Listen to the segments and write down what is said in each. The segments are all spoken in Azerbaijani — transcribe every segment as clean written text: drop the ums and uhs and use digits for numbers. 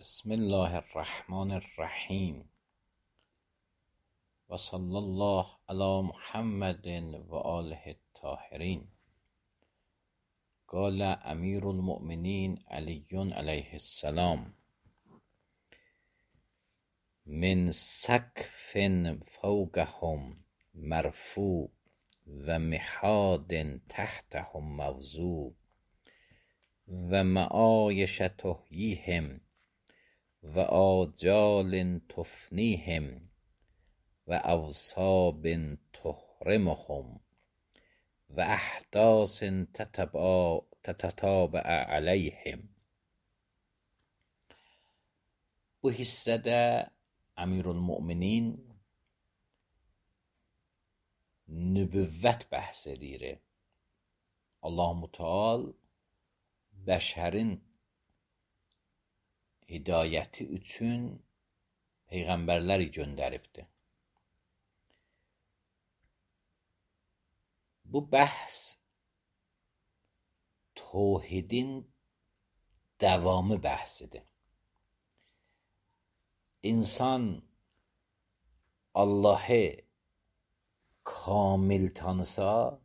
بسم الله الرحمن الرحیم و صلی الله علی محمد و آله الطاهرین. قال امیر المؤمنین علی علیه السلام: من سقف فوقهم مرفوع و مهاد تحتهم موضوع و معایش تحییهم و آجال تفنیهم و اوصاب تحرمهم و احداث تتتابع علیهم. Bu hissədə Əmirülmüminin nübüvvət bəhs edir. Allah-u Teala bəşərin hidayəti üçün peyğəmbərləri göndəribdir. Bu bəhs tövhidin davamı bəhsidir. İnsan Allah'ı kamil tanısa,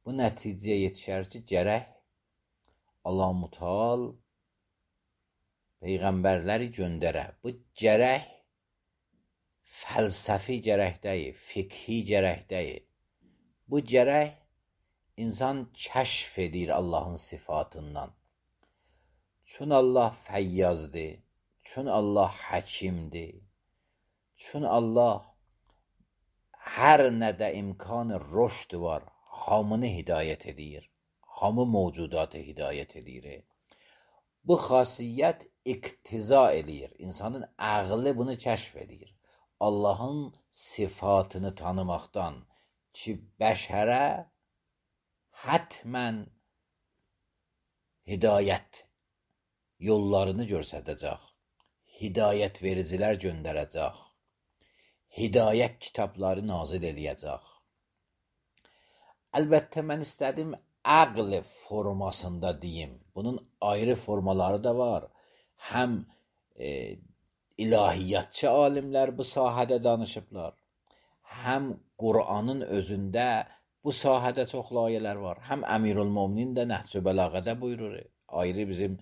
bu nəticəyə yetişər ki, gərək Allah-u Teala peyğəmbərləri göndərə. Bu gərək fəlsəfi gərək deyil, fiqhi gərək deyil. Bu gərək insan kəşf edir Allahın sıfatından. Çün Allah fəyyazdır, çün Allah həkimdir, çün Allah hər nədə imkan rüşd var, hamını hidayət edir, hamı mövcudatı hidayət edir. Bu xasiyyət iqtiza eləyir. İnsanın ağlı bunu kəşf edir. Allahın sıfatını tanımaqdan ki, bəşərə hətmən hidayət yollarını göstərəcək. Hidayət vericilər göndərəcək. Hidayət kitabları nazil eləyəcək. Əlbəttə, mən istədim ağl formasında deyim. Bunun ayrı formaları da var. Həm ilahiyyatçı alimlər bu sahədə danışıblar. Həm Qur'anın özündə bu sahədə çox layələr var. Həm Əmirülmüminin də Nəhcü Bəlağədə buyurur. Ayrı bizim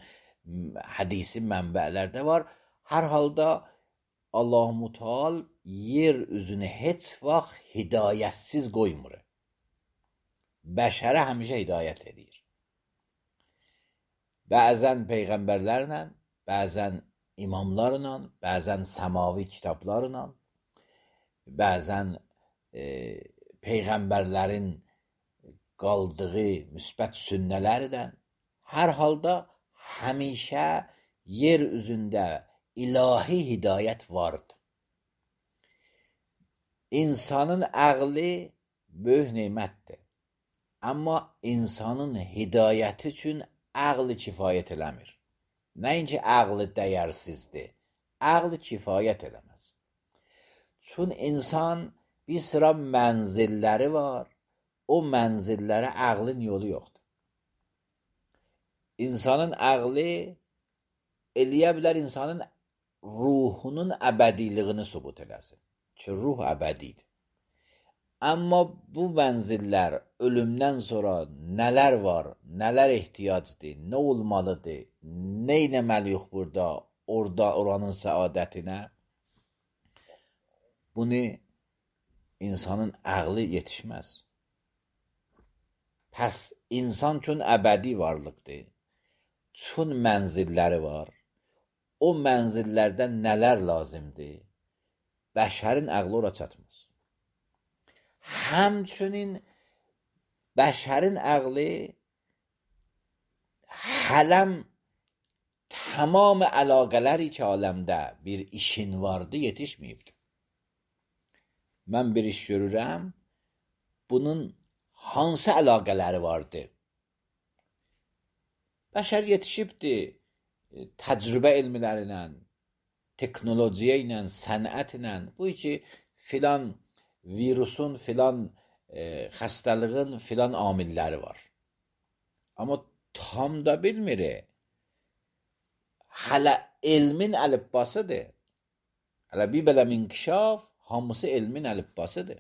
hədisi mənbələrdə var. Hər halda Allah-u Teala yer üzünü heç vaxt hidayətsiz qoymur. Bəşərə həmişə hidayət edir. Bəzən peyğəmbərlərlə, bəzən imamlarla, bəzən səmavi kitablarla, bəzən peyğəmbərlərin qaldığı müsbət sünnələrdən, hər halda həmişə yer üzündə ilahi hidayət vardır. İnsanın ağlı böyük nemətdir. Amma insanın hidayəti üçün ağlı kifayət eləmir. Nəinki ağlı dəyərsizdir, ağlı kifayət eləməz. Çün insan bir sıra mənzilləri var, o mənzillərə ağlın yolu yoxdur. İnsanın ağlı eləyə bilər insanın ruhunun əbədiliyini sübut eləsin ki, ruh əbədidir. Amma bu mənzillər ölümdən sonra nələr var, nələr ehtiyacdır, nə olmalıdır, nə eləməliyik burada, oranın səadətinə, bunu insanın ağlı yetişməz. Pəs insan üçün əbədi varlıqdır, üçün mənzilləri var, o mənzillərdən nələr lazımdır, bəşərin ağlı ora çatmaz. Həmçinin bəşərin ağlı hələm tamam əlaqələri ki, aləmdə bir işin vardı, yetişməyibdir. Mən bir iş görürəm, bunun hansı əlaqələri vardı? Bəşər yetişibdir təcrübə elmlərinə, teknolojiyə ilə, sənətlə. Bu ki, filan virusun, filan xəstəliyinin filan amilləri var. Amma tam da bilmir. Hələ elmin əlifbasıdır. Hələ bir belə inkişaf, hamısı elmin əlifbasıdır.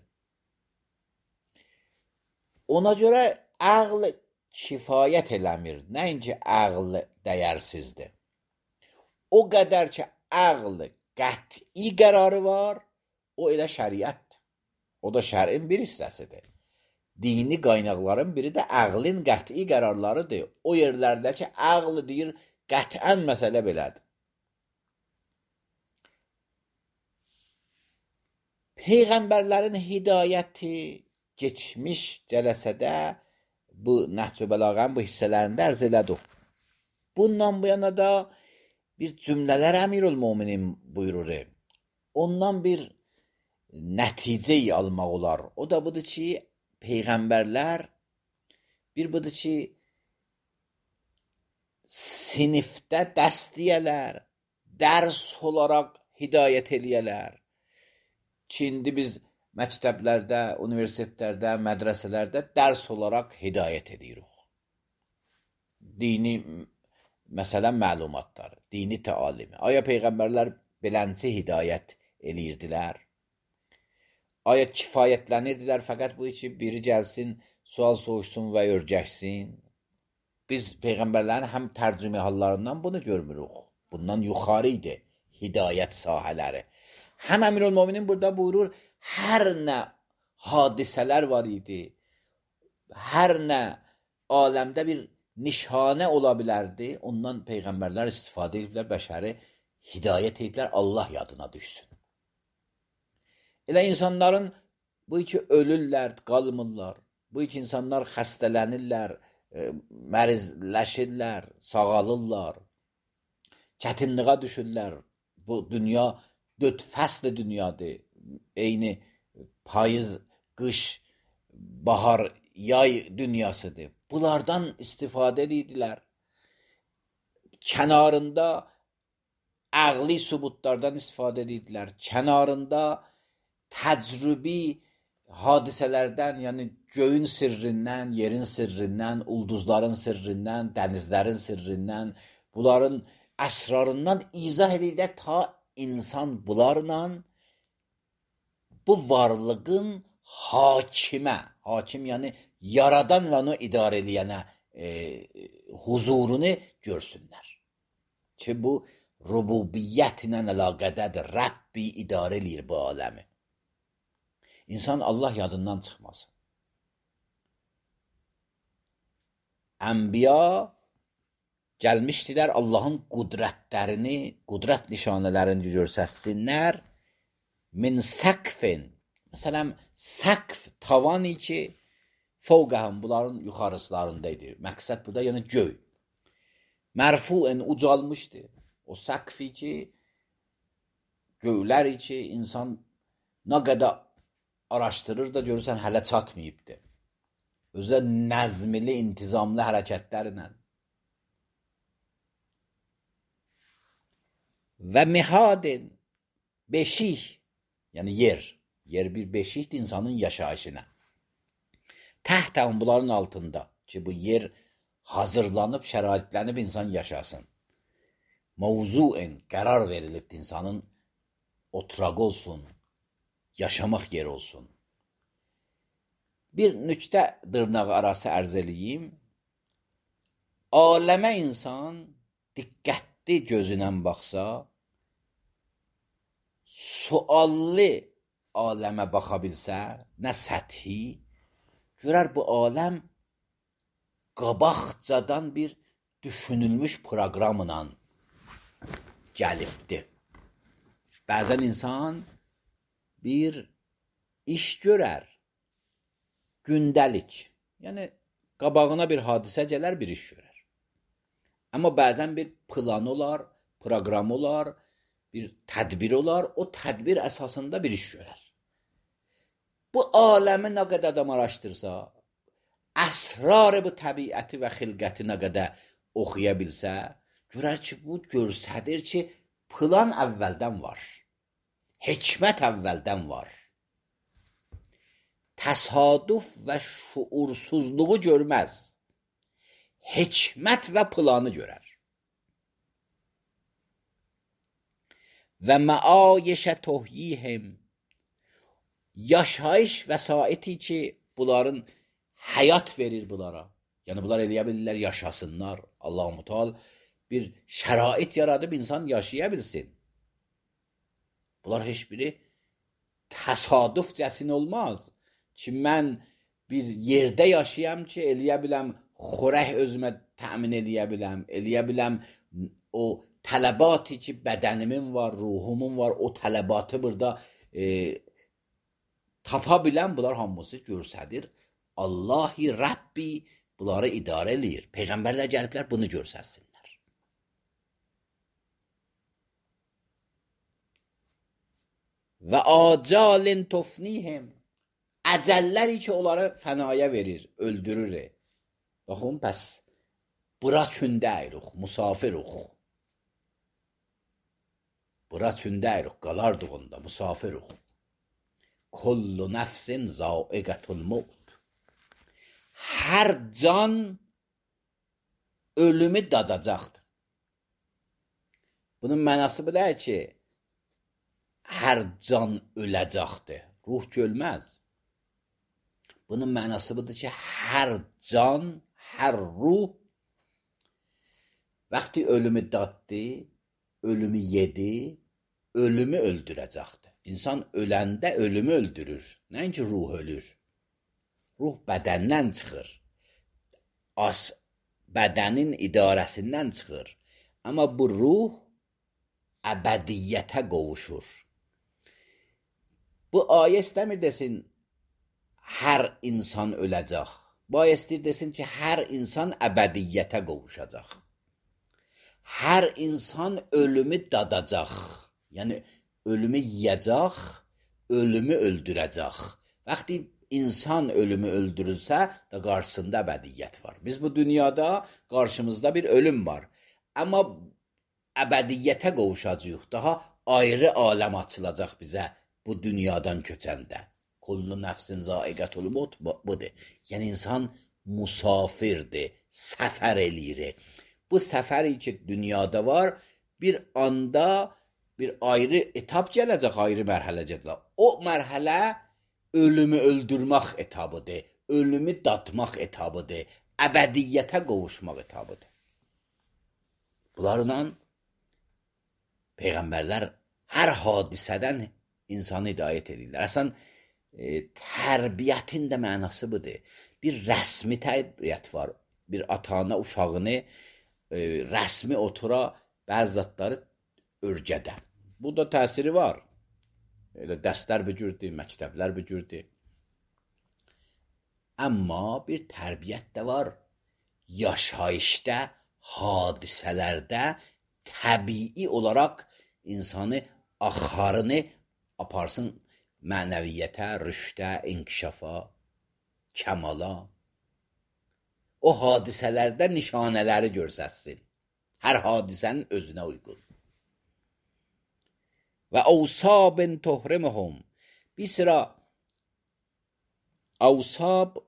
Ona görə ağl kifayət eləmir. Nəinki ağl dəyərsizdir. O qədər ki, ağl qəti qərarı var, o elə şəriətdir. O da şərin bir hissəsidir. Dini qaynaqların biri də ağlın qəti qərarlarıdır. O yerlərdə ki, ağl deyir, qətən məsələ belədir. Peyğəmbərlərin hidayəti geçmiş cələsədə bu Nəhc-ü Bəlağənin bu hissələrində ərz elədik. Bundan bu yana da bir cümlələr Əmirülmöminin buyurur. Ondan bir nəticə almaq olar. O da budur ki, Peyğəmbərlər bir budur ki, sinifdə dəstiyələr, dərs olaraq hidayət eləyələr. Ki, indi biz məktəblərdə, universitetlərdə, mədrəsələrdə dərs olaraq hidayət edirik. Dini məsələn məlumatları, dini təalimi. Aya Peyğəmbərlər belənçi hidayət eləyirdilər? Aya kifayətlənirdilər fəqət bu ki, biri gəlsin, sual soruşsun və örgəşsin? Biz Peyğəmbərlərin həm tərcümə hallarından bunu görmürük. Bundan yuxarı idi hidayət sahələri. Həm Əmirülmöminin burada buyurur, hər nə hadisələr var idi, hər nə aləmdə bir nişanə ola bilərdi, ondan Peyğəmbərlər istifadə ediblər, bəşəri hidayət ediblər, Allah yadına düşsün. Elə insanların bu iki ölürlər, qalmırlar, bu iki insanlar xəstələnirlər, mərizləşirlər, sağalırlar, çətinliyə düşürlər. Bu dünya 4 fəsl dünyadır. Eyni payız, qış, bahar, yay dünyasıdır. Bunlardan istifadə edildilər. Kənarında əqli sübutlardan istifadə edildilər. Kənarında təcrübi hadisələrdən, yəni göyün sirrindən, yerin sirrindən, ulduzların sirrindən, dənizlərin sirrindən, bunların əsrarından izah edirlər ta insan bunlarla bu varlığın hakimə, hakim yəni yaradan və onu idarə eləyənə huzurunu görsünlər. Ki bu rububiyyət ilə əlaqədədir, Rəbbi idarə eləyir bu aləmi. İnsan Allah yadından çıxmasın. Ənbiya gəlmişdilər Allahın qudrətlərini, qudrət nişanələrini görsətsinlər. Min səqfin, məsələn, səqf tavanı ki, fəvqəhəm bunların yuxarıslarındaydı. Məqsəd bu da yəni göy. Mərfuən ucalmışdı. O səqfi ki, göylər ki, insan nə qədər araşdırır da görürsən hələ çatmayıbdır. Özü də nəzmli, intizamlı hərəkətlərlə. Və mihadin, beşik, yəni yer bir beşikdir insanın yaşayışına. Təhtən bunların altında ki, bu yer hazırlanıb, şəraitlənib insan yaşasın. Mavzuen qərar verilib insanın oturaq olsun, yaşamaq yeri olsun. Bir nüktə dırnaq arası ərz eləyim. Aləmə insan diqqətli gözünə baxsa, suallı aləmə baxa bilsə, nə səthi, görər bu aləm qabaqcadan bir düşünülmüş proqramla gəlibdir. Bəzən insan bir iş görər, gündəlik, yəni qabağına bir hadisə gələr, bir iş görər. Amma bəzən bir plan olar, proqram olar, bir tədbir olar, o tədbir əsasında bir iş görər. Bu aləmi nə qədər adam araşdırsa, əsrarı bu təbiəti və xilqəti nə qədər oxuya bilsə, görər ki, bu görsədir ki, plan əvvəldən var, hikmət əvvəldən var. Təsadüf və şuursuzluğu görməz, hikmət və planı görər. و معایش تحییهم، yaşayış vəsaiti ki, bunların həyat verir bunlara. Yəni bunlar eləyə bilirlər, yaşasınlar. Allah-u Teala bir şərait yaradıb insan yaşaya bilsin. Bunlar heç biri təsadüfcəsin olmaz ki, mən bir yerdə yaşayam ki, eləyə biləm, xörək özümə təmin eləyə biləm, o tələbatı ki, bədənimin var, ruhumun var, o tələbatı burada tapa bilən, bunlar hamısı görsədir. Allah-i Rəbbi bunları idarə eləyir. Peyğəmbərlər gəliblər, bunu görsəsinlər. Və acalin tufnihim, əcəlləri ki, onları fənaya verir, öldürür. Baxın, bəs bura kündəyirik, musafiruq. Bura kündəyirik, qalardığında, musafiruq. Kullu nəfsin zaiqətul mevt. Hər can ölümü dadacaqdır. Bunun mənası bu deyil ki, hər can öləcəkdir. Ruh ölməz. Bunun mənası budur ki, hər can, hər ruh vaxtı ölümü daddı, ölümü yedi, ölümü öldürəcəkdir. İnsan öləndə ölümü öldürür. Nəinki ruh ölür. Ruh bədəndən çıxır. Bədənin idarəsindən çıxır. Amma bu ruh əbədiyyətə qovuşur. Bu ayə istəmir desin, hər insan öləcək. Bu ayə istəyir desin ki, hər insan əbədiyyətə qovuşacaq. Hər insan ölümü dadacaq. Yəni, ölümü yiyəcək, ölümü öldürəcək. Vaxtı insan ölümü öldürülsə, da qarşısında əbədiyyət var. Biz bu dünyada qarşımızda bir ölüm var. Amma əbədiyyətə qovuşacaq. Daha ayrı aləm açılacaq bizə bu dünyadan köçəndə. Kullu nəfsin zaiqətul mevt budur. Yəni insan musafirdir, səfər eləyir. Bu səfəri ki dünyada var, bir anda bir ayrı etap gələcək, ayrı mərhələ gələcək. O mərhələ ölümü öldürmək etabıdır, ölümü dadmaq etabıdır, əbədiyyətə qovuşmaq etabıdır. Bunlarla Peyğəmbərlər hər hadisədən insanı hidayət edirlər. Əslən, tərbiyyətin də mənası budur. Bir rəsmi tərbiyyət var. Bir ata-ana uşağını rəsmi otura bəzi zatları örgədə. Bu da təsiri var. Elə dərslər bir cürdür, məktəblər bir cürdür. Amma bir tərbiyyət də var. Yaşayışda, hadisələrdə təbii olaraq insanı axarını aparsın mənəviyyətə, rüşdə, inkişafa, kəmala. O hadisələrdə nişanələri görsəsin. Hər hadisənin özünə uyğun. Və avsabın tuhrimuhum. Bir sıra avsab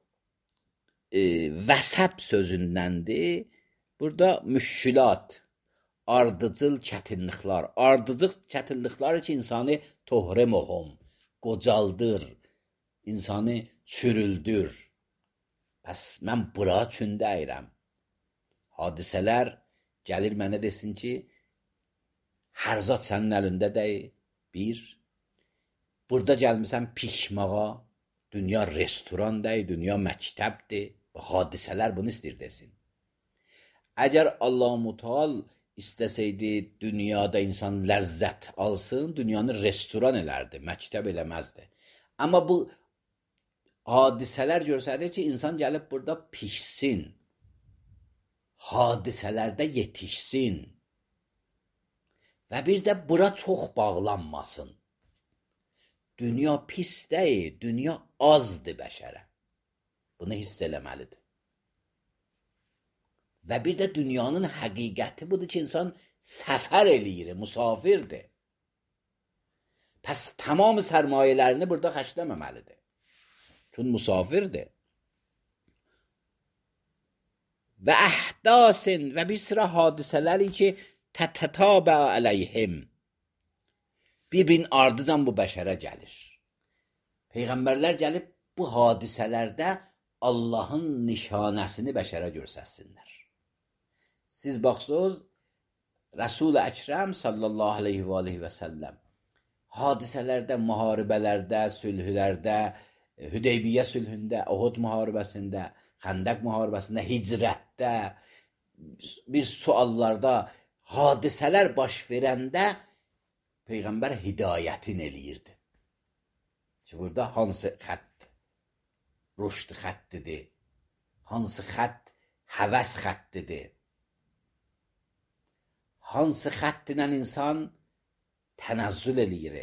vəsəb sözündəndir. Burada müşkülat, ardıcıl çətinliklər. Ardıcıl çətinliklər ki, insanı tuhrimuhum, qocaldır, insanı çürüldür. Bəs mən bura üçün deyirəm. Hadisələr gəlir mənə desin ki, hər zat sənin əlində deyil. Bir, burada gəlmişsən pişmağa, dünya restoran deyil, dünya məktəbdir. Hadisələr bunu istəyir desin. Əgər Allah-u Teala istəsəydi dünyada insan ləzzət alsın, dünyanı restoran elərdi, məktəb eləməzdi. Amma bu hadisələr görsədir ki, insan gəlib burada pişsin, hadisələrdə yetişsin və bir də bura çox bağlanmasın. Dünya pis deyil, dünya azdır bəşərə. Bunu hiss eləməlidir. Və bir də dünyanın həqiqəti budur ki, insan səfər eləyir, musafirdir. Pəs tamam sərmayələrini burada xərcləməməlidir. Çünki musafirdir. Və əhdasin və bir sıra hadisələri ki, tətətabə əleyhim. bir-birinin ardıcan bu bəşərə gəlir. Peyğəmbərlər gəlib bu hadisələrdə Allahın nişanəsini bəşərə göstərsinlər. Siz baxsınız, Rəsul-i Əkrəm sallallahu aleyhi və səlləm hadisələrdə, müharibələrdə, sülhlərdə, Hüdeybiyyə sülhündə, Uhud müharibəsində, Xəndək müharibəsində, hicrətdə, bir suallarda hadisələr baş verəndə Peyğəmbər hidayətin eləyirdi. Ki, burada hansı xətt rüşd xəttidir, hansı xətt həvəs xəttidir, hansı xətt ilə insan tənəzzül eləyir.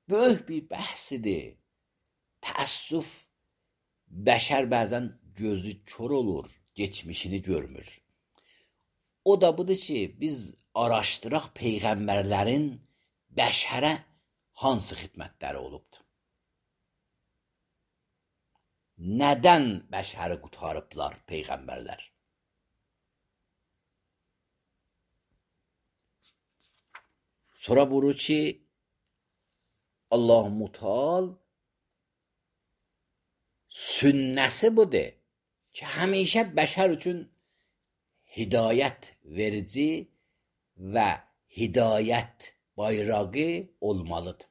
Böyük bir bəhsidir. Təəssüf, bəşər bəzən gözü kör olur, geçmişini görmür. O da budur ki, biz araşdıraq Peyğəmbərlərin bəşərə hansı xidmətləri olubdur. Nədən bəşəri qurtarıblar Peyğəmbərlər? Sonra buyurur ki, Allah-u Mutal sünnəsi budur ki, həmişə bəşər üçün hidayət verici və hidayət bayrağı olmalıdır.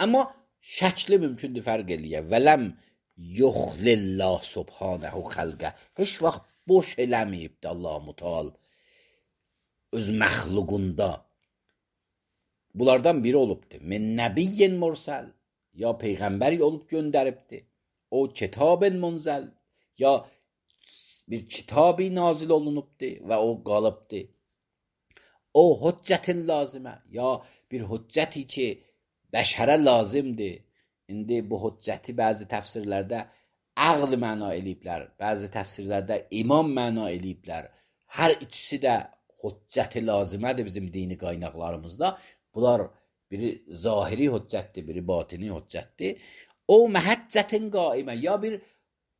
Amma şəkli mümkündür fərq eləyə. Vələm yuxlillah subhanəhu xəlqə. Heç vaxt boş eləməyibdir Allah-u Mutal öz məxluqunda. Bunlardan biri olubdur. Min nəbiyyin mursəl. Ya Peyğəmbər olub göndəribdir. O kitabın munzəl. Ya bir kitabı nazil olunubdur və o qalıbdır. O hüccətin lazimə. Ya bir hüccəti ki, bəşərə lazımdır. İndi bu hüccəti bəzi təfsirlərdə əql məna eləyiblər. Bəzi təfsirlərdə imam məna eləyiblər. Hər ikisi də hüccəti lazımədir bizim dini qaynaqlarımızda. Bunlar biri zahiri hüccətdir, biri batini hüccətdir. O məhəccətin qaimə, ya bir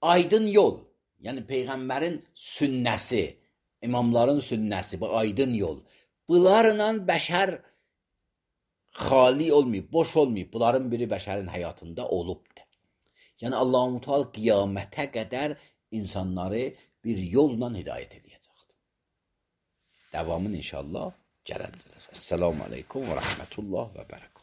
aydın yol, yəni Peyğəmbərin sünnəsi, imamların sünnəsi, bu aydın yol. Bunlarla bəşər xali olmayıb, boş olmayıb. Bunların biri bəşərin həyatında olubdur. Yəni Allah-u Mutal qiyamətə qədər insanları bir yolla hidayət edəcəkdir. Davamını inşallah gələn cələsə. Esselamu aleykum və rəhmətullah və bərəkət.